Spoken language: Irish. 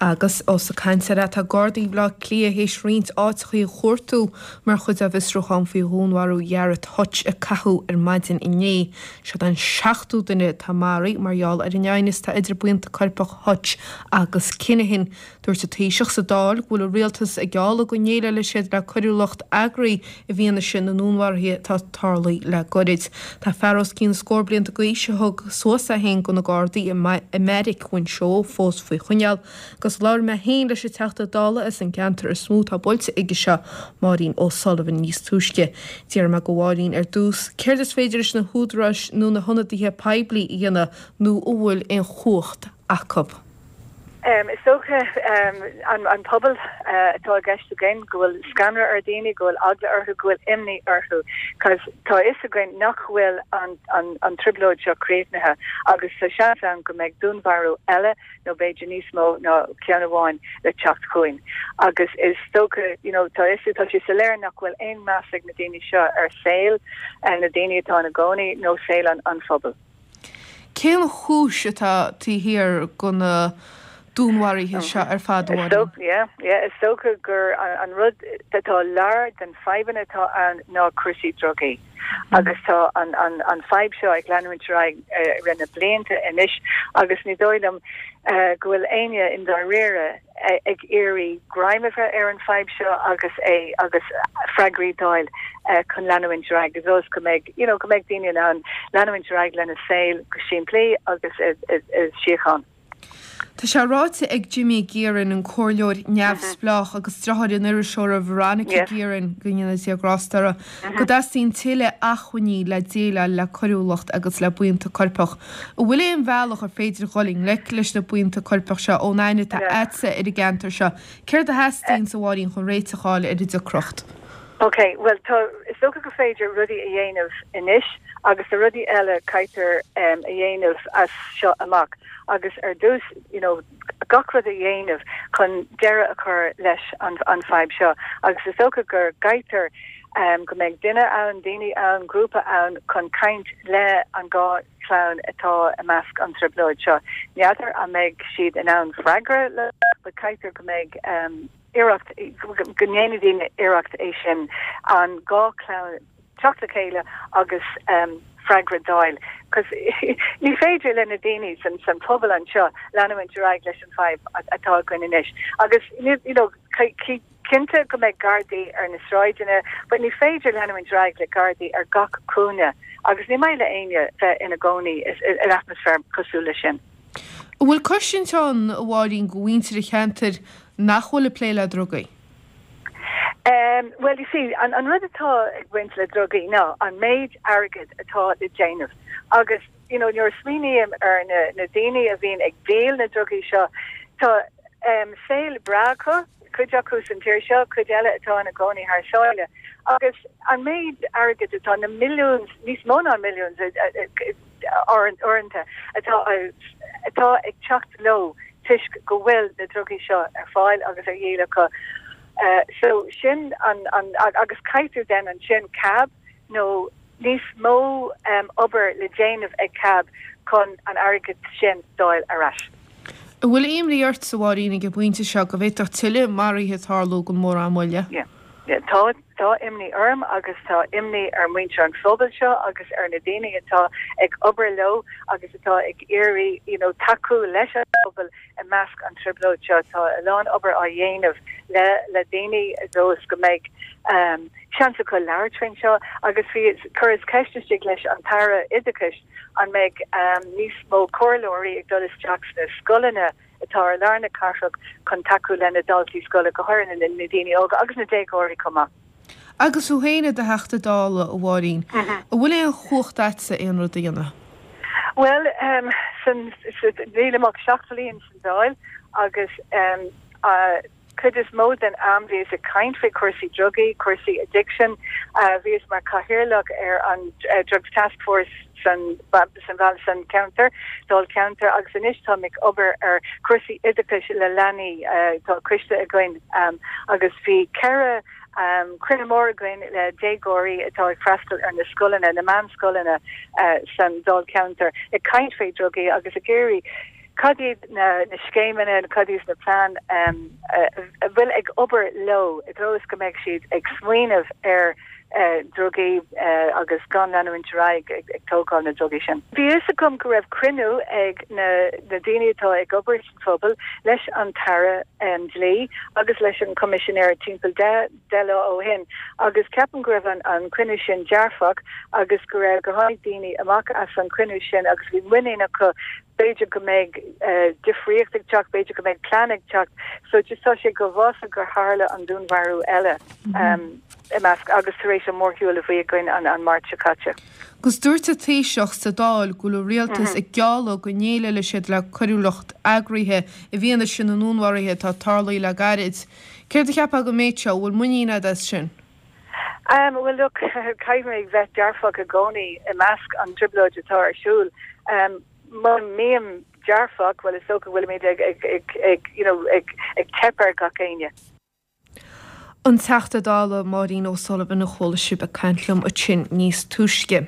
Agus ós ag caint air atá Gardaí Bhaile Átha Cliath théis roinnt áiteachaí a chuartú mar chuid dá bhfiosrúchán faoi dhúnmharú Ghearóid Hutch a caitheadh ar maidin inné. Seod an seachtú duine atá maraithe mar gheall ar an aighneas atá idir buíonta coirpeach Hutch agus Kinahan. Dúirt an Taoiseach sa Dáil go bhfuil an rialtas ag gealladh go ndéileálfaidh siad le coiriúlacht eagraithe i bhfianaise na ndúnmharuithe atá tarlaithe le goirid. Tá fear os cionn scór blianta d'aois a thug suas é féin do na Gardaí i mBeairic Mhuinseo fós faoi choinneáil agus labhair mé féin leis an Teachta Dála as an gceantar is mó atá buailte aige seo, Máirín O'Sullivan níos túisce. D'iarr mé de Mháirín ar dtús céard is féidir leis na húdaráis nó na hionadaithe poiblí a dhéanamh nó an bhfuil aon chumhacht acu. Is dócha an pobal atá i gceist againn, go bhfuil scanradh ar dhaoine, go bhfuil eagla orthu, go bhfuil imní orthu, cos tá a fhios againn nach bhfuil an trioblóid seo críochnaithe agus tá seans ann go mbeidh dúnmharú eile nó b'fhéidir níos mó ná ceann amháin le teacht chugainn. Agus is dócha, you know, tá fhios, tá sé soiléir nach bhfuil aon meas ag na daoine seo ar saol na daoine atá ina gcónaí nó saol an phobail. Cén chúis atá taobh thiar de na dúnmharuithe seo ar fad, a Mháirín? Yeah, yeah, is dócha gur an rud atá lár den fadhbanna atá ann ná cúrsaí drugaí. Agus tá an an an fadhb seo ag leanúint ar aghaidh i rith na blianta anois agus ní dóigh liom go bhfuil éinne i ndáiríre ag iarraidh greim a bheith ar an fadhb seo agus é agus freagraí d'fháil chun leanúint ar aghaidh agus go mbeidh you know go mbeidh daoine in ann leanúint ar aghaidh lena saol go simplí agus i síocháin. Tá sé ráite ag Jimmy Guerin, an comhairleoir neamhspleách agus deartháir an iriseora Veronica Guerin, go ndéana Dia grásta orthu, go dteastaíonn tuilleadh acmhainní le déileáil le coiriúlacht agus le buíonta coirpeach. An bhfuil aon bhealach ar féidir dhul i ngleic leis na buíonta coirpeach seo ón aithne atá a'dsa ar an gceantar seo? Céard a theastaíonns, a Mháirín, chun réiteach a fháil ar an deacracht? Ok, bhuel tá, is dócha gur féidir rudaí a dhéanamh anois agus tá rudaí eile caithfear a dhéanamh as seo amach agus ar dtús, you know, gach rud a dhéanamh chun deireadh a chur leis an an fadhb seo agus is dócha go gcaithfear go mbeidh duine ann, daoine ann, grúpa ann chun caint le an dhá chlann atá i measc an trioblóid seo. N'fheadar an mbeidh siad in ann freagra le but caithfear go mbeidh iarracht, go ndéanfaidh daoine iarracht é sin, an dhá chlann teacht le chéile agus freagra d'fháil. Cos ní féidir le na daoine san san phobal anseo leanúint ar aghaidh leis an fadhb atá againn anois. Agus you know cinnte go mbeidh gardaí ar na sráideanna but ní féidir leanúint ar aghaidh le gardaí ar gach cúinne agus ní maith le éinne bheith ina gcónaí in atmaisféar cosúil leis sin. An bhfuil cosaint ann, a Mháirín, do mhuintir an cheantair nach bhfuil ag plé le drugaí? Bhuel, you see, an an rud atá ag baint le drugaí ná an méid airgid atá le déanamh agus, you know, nuair a smaoiním ar na na daoine a bhíonn ag díol na drugaí seo, tá saol breá acu, cuid acu san tír seo, cuid eile atá ina gcónaí thar sáile agus an méid airgid atá, na millions, níos mó ná millions, uaireanta atá atá ag teacht leo toisc go bhfuil na drugaí seo ar fáil agus ar dhíol acu. So sin an an agus caithfear then ansin CAB nó níos mó obair le déanamh ag CAB chun an airgead sin d'fháil ar ais. An bhfuil imní ort, a Mháirín, ag an bpointe seo go bhféadfadh tuilleadh maruithe tarlú gan mórán moille? Yeah. Tá, tá imní orm agus tá imní ar mhuintir an phobail seo agus ar na daoine atá ag obair leo agus atá ag iarraidh you know tacú leis an bpobal i measc an trioblóid seo. Tá a lán obair á dhéanamh le le daoine dóibh go mbeidh um, seans acu labhairt faoin seo agus bhí chuireas ceist istigh leis an tAire Oideachais an mbeidh um, níos mó comhairleoirí ag dul isteach sna scoileanna atá ar lár na cathrach chun tacú le na daltaí scoile, go háirithe na daoine óga agus na déagóirí chomh maith. Agus thú féin i do Theachta Dála, a Mháirín, an bhfuil aon chumhacht a'dsa aon rud a dhéanamh? Bhuel, san, nílim ach 7 bhliain san Dáil agus cuid is mó den am bhíos ag caint faoi chúrsaí drugaí, cúrsaí addiction. Bhíos mar chathaoirleach ar an Drugs Task Force san san san ceantar, Dáilcheantar, agus anois táim ag obair ar chúrsaí oideachais le leanaí. Tá coiste againn agus bhí 4 cruinniú mór againn le déagóirí atá ag freastal ar na scoileanna, na meánscoileanna san Dáilcheantar, ag caint faoi drugaí agus ag iarraidh. Cad iad na scéimeanna, cad iad na plean a bhfuil ag obair leo i dtreo is go mbeidh siad ag smaoineamh ar drugaí agus gan leanúint ar aghaidh ag tógáil na drugaí sin. Bhí fhios agam go raibh cruinniú ag na daoine atá ag obair sa phobal leis an tAire Dlí agus leis an Choimisinéir timpeall 10 lá ó shin agus ceapaim go raibh an cruinniú sin dearfach agus go raibh, gur tháinig daoine amach as an chruinniú sin agus bhí muinín acu b'fhéidir go mbeidh difríocht ag teacht, b'fhéidir go mbeidh plean ag teacht. So just tá sé go uafásach gur tharla an dúnmharú eile i measc agus tar éis an mórshiúl a bhí againn an Máirt seo caite. Agus dúirt an Taoiseach sa Dáil go bhfuil an rialtas ag gealladh go ndéileálfaidh siad le coiriúlacht eagraithe i bhfianaise na ndúnmharuithe atá tarlaithe le gairid. Céard a cheapfá den méid seo? An bhfuil muinín agat as sin? Bhuel look, caithfidh mé bheith dearfach i gcónaí i measc an trioblóid atá ar siúl. Mura mbím dearfach, bhuel is dócha go bhfuilimid ag, ag, ag, ag, you know, ag, ag teip ar gach éinne. An Teachta Dála Máirín O'Sullivan a chuala sibh ag caint liom ansin níos túisce.